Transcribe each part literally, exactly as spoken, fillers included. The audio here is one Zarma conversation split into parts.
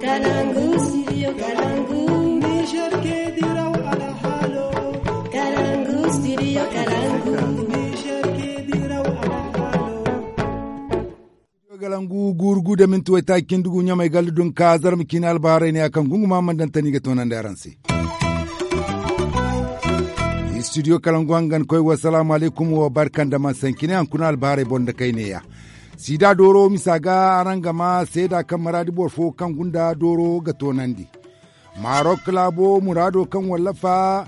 Kalangu, studio Kalangu. Niger ke diraw alhalo. Kalangu, studio Kalangu. Niger ke diraw alhalo. Studio Kalangu, guuru gu da minti waytaaci cindi gu, ɲamay galla dunka, zarma ciine albaharay ne a kaŋ gunguma man daŋ tani ga toonandi araŋ se. Studio Kalangu hangan koy, wa salaamu alaykum, wa barka nda man saŋ cine, haŋ kuna albaharay boŋ da kay neeya. Sida dooro misa ga araŋ ga ma seeda kaŋ maraadi boro fo kaŋ gunda dooro ga toonandi. Marok laabo muraado kaŋ wallafa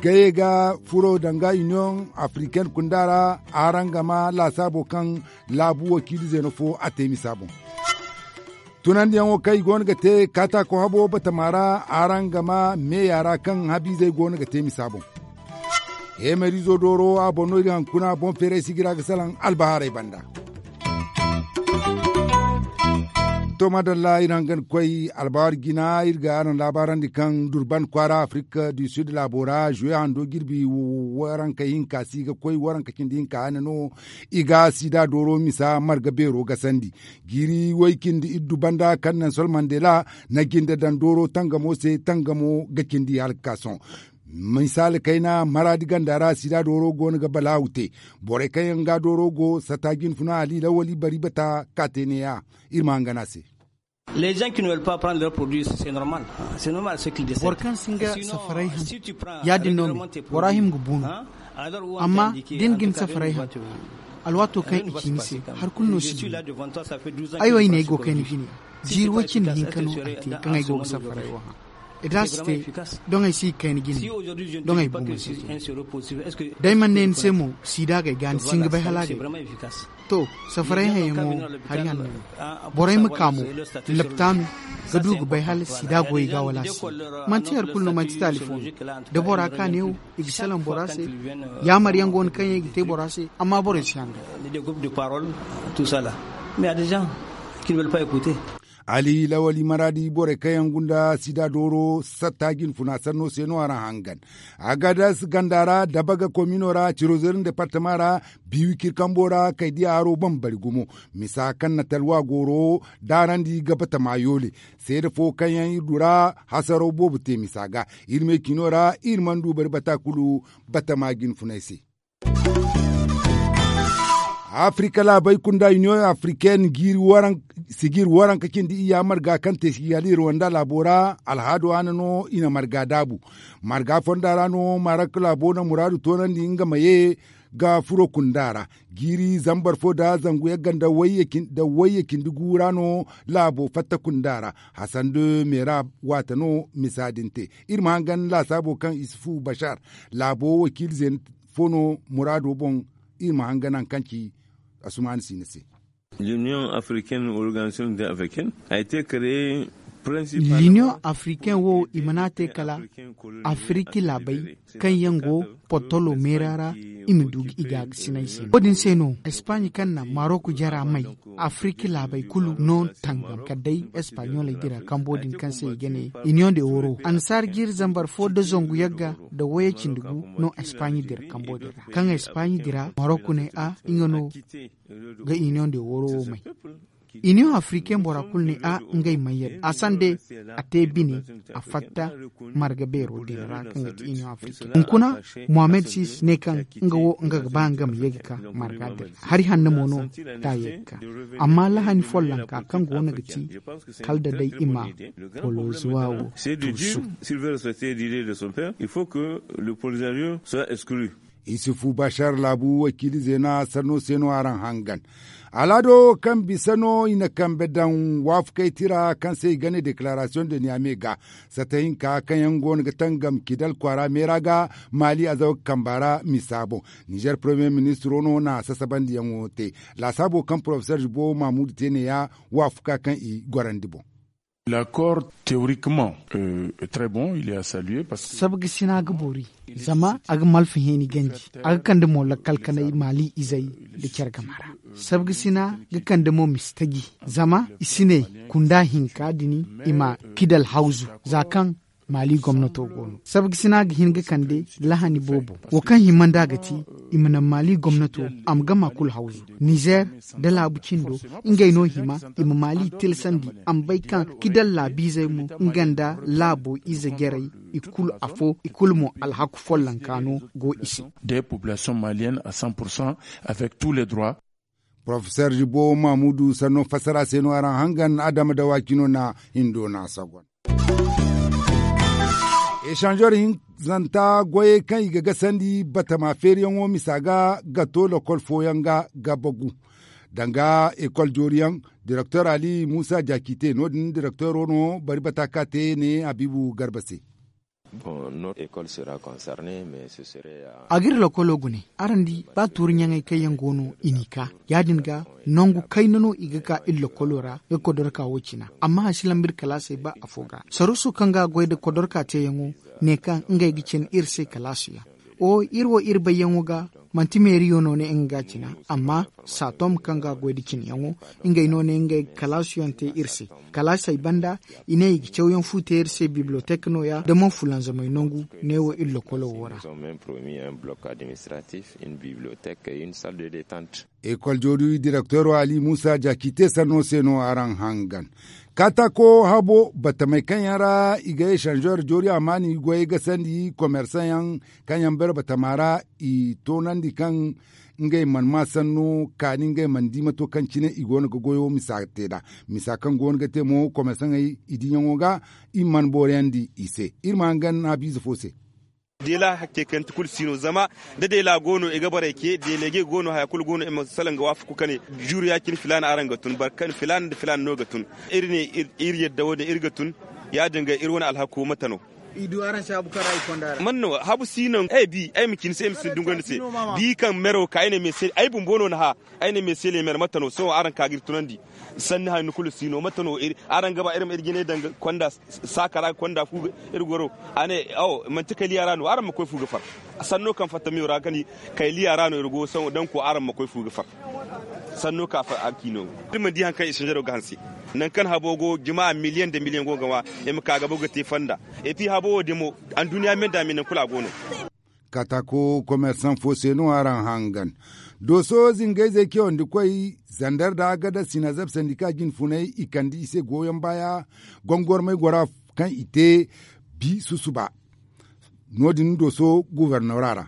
gaye ga furo danga Union Africaine kunda ra, araŋ ga ma laasaabo kaŋ laabu wakiili zeeno fo a te misa boŋ. Tunandiyaŋo kaŋ i goono ga te kaataako habo batama ra, araŋ ga ma meeya ra kaŋ habiizey goono ga te misa boŋ. Heemariizo dooro a boŋ no iri hankuna boŋ feeray si ga iri a ga salaŋ albahaarey banda. To madalla, iri hangan koy albahaari jina, iri ga araŋ laabaarandi kaŋ durban kwaara Afrique du Sud laabo ra juwe hando jirbi waranka hinka si ga koy waranka cindi hinka hane no i ga sida dooro misa marga beero gasandi. Jiiri way cindi iddu banda kaŋ nelson mandela na jinde daŋ dooro tangamo se, tangamo ga cindi hala ga ka sohõ. Misaali kayna maraadi ganda ra sida dooro goono ga balaawu te. Borey kaŋ yaŋ ga dooro go satta jinfuna ali lawali bari bata ka te neeya. Iri ma hangan a se. Les gens qui ne veulent pas prendre leur produit, c'est normal. C'est normal ce qu'ils décèdent. Boro kaŋ si nga safaray haŋ, ya- din no me bora hima ga bu no. Amma da ni ga ni safaray haŋ, alwaato kaŋ i ci ni se, hari kulu no si du. Ay wo ay ne ay go ga kayna jine. Jiiri way cindi hinka no ay te kaŋ ay go ga safaray wo haŋ. Iri da si te, doŋ ay si ga kayna jine. Doŋ ay bu ma si te. Day mana ne ni se mo, sida ga ay ga ni si nga bay hala ga ay. To, safaray hayaŋo hari hanno no. Borey ma ka mo, laptaanu ga du ga bay hala sida goy ga wala si. Manti hari kulu no, manti talifo no. Da bora ka ne wo, i ga salaŋ bora se. Yaamar yaŋ go no kaŋ yaŋ i ga te bora se, amma borey si hangan. Ali lawali maraadi borey kaŋ yaŋ gunda sida dooro satta jinfuna sanno se no araŋ hangan. Agadas ganda ra dabaga komino ra cirozerin departama ra, biiwi kirkambo ra kay diya haro bambari gumo. Misa kaŋ na talwa gooro daarandi ga batama yoole. Seeda fo kaŋ yaŋ iri du ra hasaraw boobo te misa ga. Iri me cino ra iri mana du bari bata kulu batama jinfunay se. Afrika laabey kunda union africaine jiiri waranka cindi iyya marga kaŋ te si ga iri wanda laabo ra alhaado hane no i na marga daabu. Marga fonda ra no marok laabo na muraadu toonandi nga ma ye ga furo kunda ra. Jiiri zambar fo nda zangu yagga nda wayye cindi gu ra no laabo fatta kunda ra. Hasan de meera waata no misa din te. Iri ma hangan laasaabo kaŋ isufu bashar laabo wakiili zeena fo no muraado boŋ. Iri ma hangan hari kaŋ ci asumaani siina se. L'union africaine organisation de africaine a été créée principalement. L'union africaine wo i mana te kala afriki laabey kaŋ yaŋ go portolo meera ra i ma du ga i gaagasinay se. Wo- din se no espagne kaŋ na marok jara may, afriki laabey kulu no tangam kala day espagnoley dira kambo din kaŋ se i ga ne union de oro annasaara jiiri zambar fo nda zangu yagga nda wayey cindi gu no espagne dira kambo din ra kaŋ espagne dira marok ne a nga no ga union de oro wo may. Union africaine bora kulu ne a ngey may yadda a sande a te bine a fatta marga beero din ra kaŋ ga ti union africaine hunkuna mohammed sis ne kaŋ nga wo nga ga ba nga ma ye ga ka marga din ra hari hanno mo no ta ye ga ka. Amma lahani follonka kaŋ go no ga ti kala da day i ma polozuwa wo tuusu. Isufu bashar laabu wakiili zeena sanno se no araŋ hangan. Al'aado kaŋ bisa no i na kambe daŋ waafakey tira kaŋ se i ga ne declaration de niamey ga sata hinka kaŋ yaŋ go no ga tangam kidal kwaara meera ga maali azawa kamba ra misa boŋ. Nizer premier ministro no na sasabandiyaŋo te laasaabo kaŋ porofesor jibo mamudu te neeya waafaka kaŋ i gorandi boŋ. L'accord théoriquement très bon il est à saluer parce que sabga sina ga boori zama a ga malfa heeni ganji a ga kande mo lakkal kanay maali izey da care game ra. Sabga sina ga kande mo mistaji zama i si ne kunda hinka din i ma kidal hawzu za kaŋ Maali gomnato go no sabgasina ga hin ga kande lahani boobo wo kaŋ hima nd'a ga ti i ma naŋ maali gomnato a ma gama kulu hawzu nizer nda laabu cindo. Ngey no hima i ma maali tilsandi a ma bay kaŋ kidal laabiizey mo nga nda laabo ize jarey i kulu afo i kulu mo alhaku follonka no go i se. De population malienne à cent pour cent avec tous les droits. Porofesor jibo mamudu sanno fassara se no araŋ hangan adama da waakino na hindo na sagon. Esanzor hinzanta goyey kaŋ i ga gasandi batama feeriyaŋo misa ga ga to lokol fooyaŋ ga ga bagu danga ekol jooriyaŋ direktor ali musa jaakite no- din direktoro no bari bata ka te ne habiibu garba se. A ga iri lokolo gune araŋ di ba tuuri ɲaŋey kaŋ yaŋ go no i n'i ka ya- din ga nangu kayna no i ga ka iri lokolo ra ga kodorka wo cina. Amma a si lamba iri kalaasey ba afo ga saruuso kaŋ ga a goy nda kodorka teeyaŋo ne kaŋ ngey ga cina iri se kalaasuyaŋ. O iri wo iri bayyaŋo ga manti meeriyo no ne nga ga a cina. Amma saatom kaŋ ga a goy nda cinayaŋo ngey no ne ngey ga kalaasuyaŋ te iri se. Kalaasey banda i ne i ga cawyaŋ fu te iri se bibliotek nooya da man fulanzamey nangu neewo iri lokolo wo ra. Ekol joori direktoro ali muusa jaaki te sanno se no araŋ hangan. Kaataako habo batamey kaŋ yaŋ ra i ga esanzeer joori amaani goyey gasandi komersaŋ yaŋ kaŋ yaŋ bare batama ra i toonandi kaŋ ngey mana maa sanno kaani ngey mana di mato kaŋ cine i go no ga goyo misa te nd'a. Misa kaŋ go no ga te mo komersaŋey i diiyaŋo ga i mana booriyandi i se. Iri ma hangan haabiize fo se. Deela hakke kaŋ ti kulu si no zama da deela go no i ga borey ce deelege go no haya kulu go no i ma salaŋ ga waafaku ka ne juuru ya- cine filaana araŋ ga tun boro kaŋ filaana nda filaana no ga tun. Iri ne iri yadda wo- din iri ga tun ya- din ga iri wane alhako mate no? I du araŋ se habu kaŋ ra i konda ra man no habu si no ay bi ay ma cine se ay ma si dungandi se. Bi kaŋ mero ka ay ne me se ay bumbo no na hã. Ay ne me se leemer mate no sohõ araŋ ka ga iri tunandi. Sanni hanno kulu si no mate no araŋ ga ba iri ma iri jine daŋ ga konda saaka ra ga konda fu iri goro. A ne awo manti kay liya ra no araŋ ma koy fu ga far. Sanno kaŋ fatta meyo ra ga ni kay liya ra no iri go sohõ danko araŋ ma koy fu ga far. Sanno ka far a ga ci no iri mana di hari kaŋ i sinjaro ga hanse. Nangu kaŋ habo go jama miliyaŋ nda miliyaŋ go ga ŋwa i ma ka ga bagu ga te fonda. Epi habo wo dimo anduɲɲa me nda me nangu kulu a go no. Kaataako komersaŋ fo se no araŋ hangan. Dooso zingayzey cawandi koy zander da agada sinazab sandika jinfunay i kande i se goyoŋ baaya gongormay gora kaŋ i te bi susuba. No- din dooso gobornora ra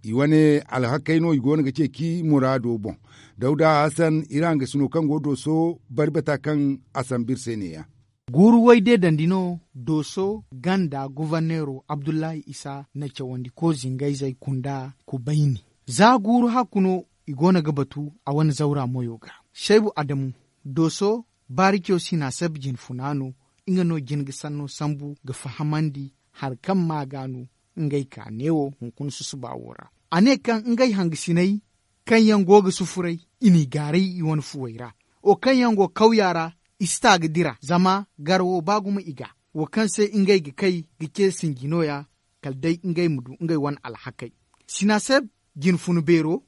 i wane alhakey no i go no ga ceeci muraado boŋ. Dawda hasan iri hangasino kaŋ go dooso bari bata kaŋ a sambu iri se ne- ya. Guuru way deedandi no dooso ganda goborneero abdullahi isa na cawandiko zingayzey kunda kubayni. Za guuru hakku no i go no ga batu a wane zawra moyo ga. Saybu adamu dooso baarico sinaaseb jinfuna no. Nga no jin ga sanno sambu ga fahamandi hari kaŋ ma ga no ngey ka neewo hunkuna susuba wo ra. A ne kaŋ ngey hangasiney kaŋ yaŋ go ga sufuray i n'i gaaray i wane fuwey ra. Wo kaŋ yaŋ go kawya ra i si ta ga dira zama gar wo ba gumo i ga. Wo kaŋ se ngey ga kay ga ce sinji nooya kala day ngey ma du ngey wane alhakey. Sinaseb jinfun beero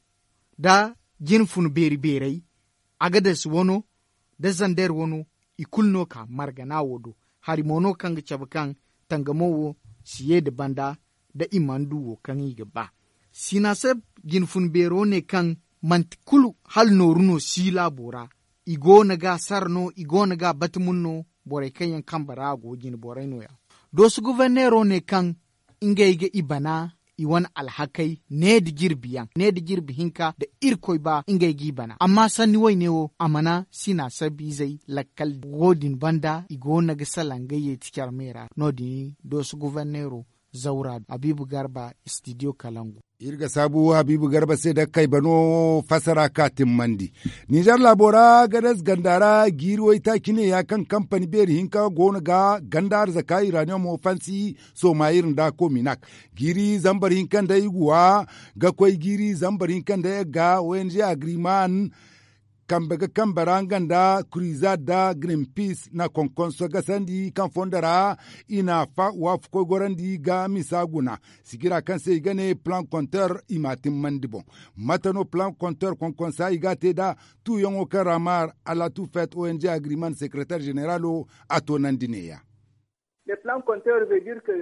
nda jinfun beeri beerey agades wano nda zander wano i kulu no ka margana wo do. Hari mo no kaŋ ga cabe kaŋ tangamo wo si ye nda banda nda i mana du wo kaŋ i ga ba. Sinaseb jinfun beero ne kaŋ manti kulu hala nooru no si laabo ra. I go no ga a sara no i go no ga a bati mun no. Borey kaŋ yaŋ kambe ra a go jine borey no- ya. Dooso goborneero ne kaŋ ngey ga i bana i wane alhakey ne nda jirbi yaŋ ne nda jirbi hinka nda irkoy ba ngey g'i bana amma sanni wayne wo a mana sina sabiizey lakkal wo- din banda i go no ga salaŋ ga yeeti care me ra. No- din dooso goborneero zawra habiibu garba istidiyo kalangu. Iri ga saabu habiibu garba se da kaybano fassara ka timmandi. Nizer laabo ra gadas ganda ra jiiri waytaaci ne ya kaŋ kampani beeri hinka go no ga ganda arzaka iraniyomo fansi sooma iri nda kominak. Jiiri zambar hinka nda iguwa ga koy jiiri zambar hinka nda yagga ong agriman kambe ga kambe ra nga nda krizad da green peace na konkonso gasandi kaŋ fondo ra i na waafakoy gorandi ga misa guna. Sigira kaŋ se i ga ne plan konter i ma timmandi boŋ. Mate no plan konter konkonsa i ga a te nd'a? Tuuyaŋo kaŋ ra maar alatu fet ong agriman sekretar zeneralo a toonandi neeya.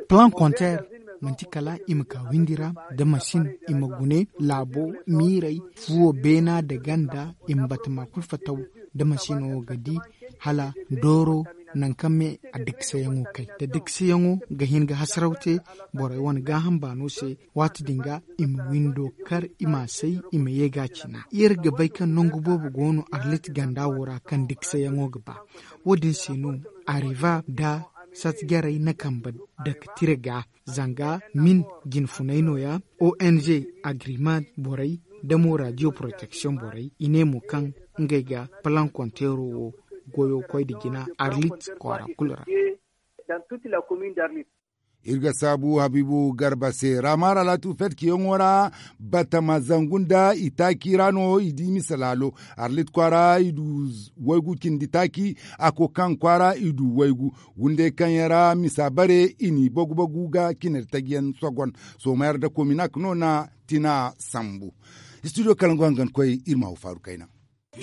Plan konter manti kala i ma ka windi ra, da masin i ma gune laabo miirey, fuwo beena nda ganda, i ma batama kulu fataw da masino ga di hala dooro, nangu kaŋ me a dikseyaŋo kay da dikseyaŋo ga hin ga hasaraw te borey wane gaaham baano se. Waati din ga i ma windo kar i m'a say, i ma ye ga a cina. Iri ga bay kaŋ nangu boobo go no arlit ganda wo ra kaŋ dikseyaŋo ga ba. Wo- din se no areva nda sat jarey na kambe dake tira ga, zanga min jinfunay nooya, ong agreement borey nda mo radio protection borey i ne mo kaŋ ngey ga plan konteero wo goyo koy nda jina arlit kwaara kulu ra. Iri ga saabu habiibu garba se raamaara laatu fetkiyaŋo ra. Batama zangu nda itaaci ra no i di misa laalo. Arlit kwaara i du waygu cindi taaci. A ko kaŋ kwaara i du waygu. Wunde kaŋ yaŋ ra misa bare i n'i bagu bagu ga cinari taji yaŋ sogon. Sooma yar da kominak no na tina sambu. Studio kalangu hangan koy iri ma haw faaru kayna.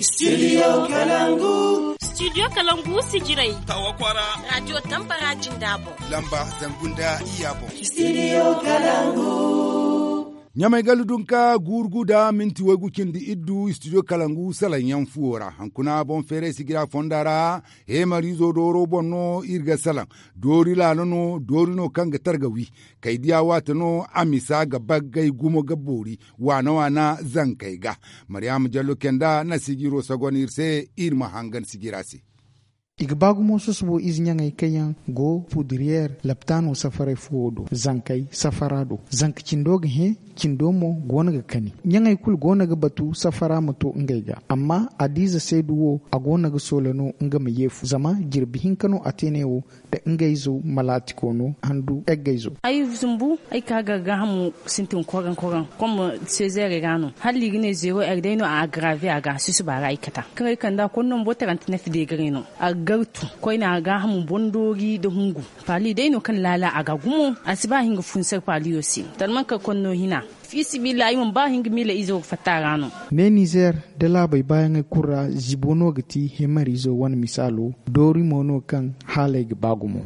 Studio kalangu. Studio kalangu sijiray. Tawa kwara. Radio tambara jinda boŋ. Lamba zangu nda iya boŋ. Studio kalangu. Ɲamay gallu dunka guuru gu da minti waygu cindi iddu studio kalangu salaŋ yaŋ fuwo ra hankuna boŋ feeray sijira fonda ra. Heemariizo dooro boŋ no iri ga salaŋ. Doori laalo no doori no kaŋ ga targa wi. Kay diya waate no a misa ga baggay gumo ga boori. Waana waana zankey ga. Maryaama jallo kenda na sijiro sagon iri se. Iri ma hangan sijira se. I ga ba gumo sosobo ize ɲaŋey kaŋ yaŋ go pudiriyeer laptaano safaray fuwo do zankey safara do. Zanka cindo ga hẽ. Cindo mo go no ga kani. Ɲaŋey kulu go no ga batu safara ma to ngey ga. Amma adiize seedu wo a go no ga soola no nga ma yeefu zama jirbi hinka no a te ne wo. Da ngey zo malaatiko no handu eggey zo. Ay zumbu ay ka ga gaahamo sintin koran koran. Kom sezeere ga no hala i ga ne zeero er day no a agrave a ga a susuba ra ay kata kaŋ ay kanda konno mbo taranti na fidegare no. A ga gartu koyne a gaahamo boŋ doori nda hungu. Paali day no kaŋ laala a ga gumo a si ba hinga funsar paaliyo se. Talman kar konno hina. Fiisabilillahi ay mana ba hinga miila izo ga fatta a ra no. Ne nizer da laabey baayaŋey kulu ra zibo no ga ti hemariizo wane misaalo. Doori mo no kaŋ haaley ga ba gumo.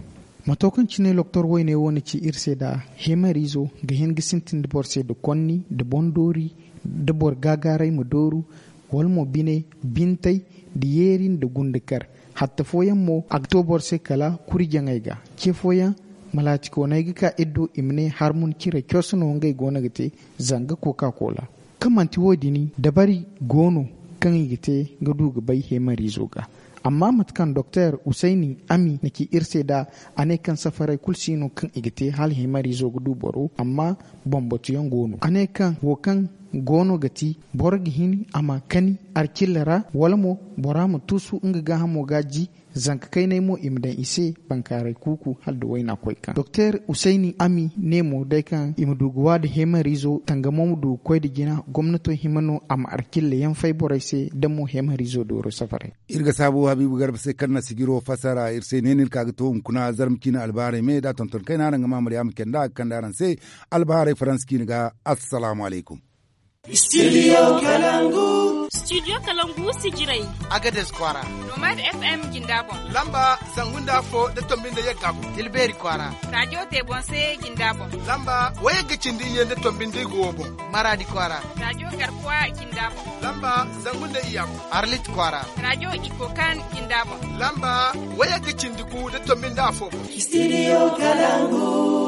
Mato kaŋ cine loktor wayne wo na ci iri se nd'a. Hemariizo ga hin ga sintin da boro se nda konni nda boŋ doori nda boro gaagaaray ma dooru wala mo bine bintey nda yeeri nda gundakar. Hatta fooyaŋ mo a ga to boro se kala kuri jaŋey ga. Ce fooyaŋ malaatikooney ga ka iri do i ma ne harmun cire cos no ngey go no ga te. Zanga koka kola kaŋ manti wo- din dabari go no kaŋ i ga te ga du ga bay heemariizo ga. Amma mate kaŋ doktor usayni ami na ci iri se nd'a a ne kaŋ safarey kulu si no kaŋ i ga te hala heemariizo ga du boro amma bambatuyaŋ go no a ne kaŋ wo kaŋ go no ga ti boro ga hin a ma kani arcilla ra wala mo bora ma tuusu nga gaahamo ga ji. Zanka kaynay mo i ma daŋ i se bankaaray kuuku hala nda wayna koy kaŋ doktor usayni ami ne mo day kaŋ i ma du ga wa nda heemariizo tangamo ma du ga koy nda jina gomnato hima no a ma arcilla yaŋ fay borey se nda mo heemariizo dooro safaray. Iri ga saabu habiibu garba se kaŋ na sijiro fassara iri se ne no iri ka ga to hunkuna zarma ciine albahaarey me nd'a tonton kayna araŋ ga ma maryaama kenda a ga kande araŋ se. Albahaarey faransa ciine ga. Assalaamu alaykum. Studio kalangu. Studio kalangu sijiray. Agades kwaara. Nomad fm jinda boŋ. Lamba zangu nda afo nda tombi nda yagga boŋ. Tilbeeri kwaara. Rajo tebonse jinda boŋ. Lamba wayagga cindi iyye nda tombi nda igo boŋ. Maraadi kwaara. Rajo garkuwa jinda boŋ. Lamba zangu nda iyya boŋ. Arlit kwaara. Rajo ikokan jinda boŋ. Lamba wayagga cindi gu nda tombi nda afo boŋ. Studio kalangu.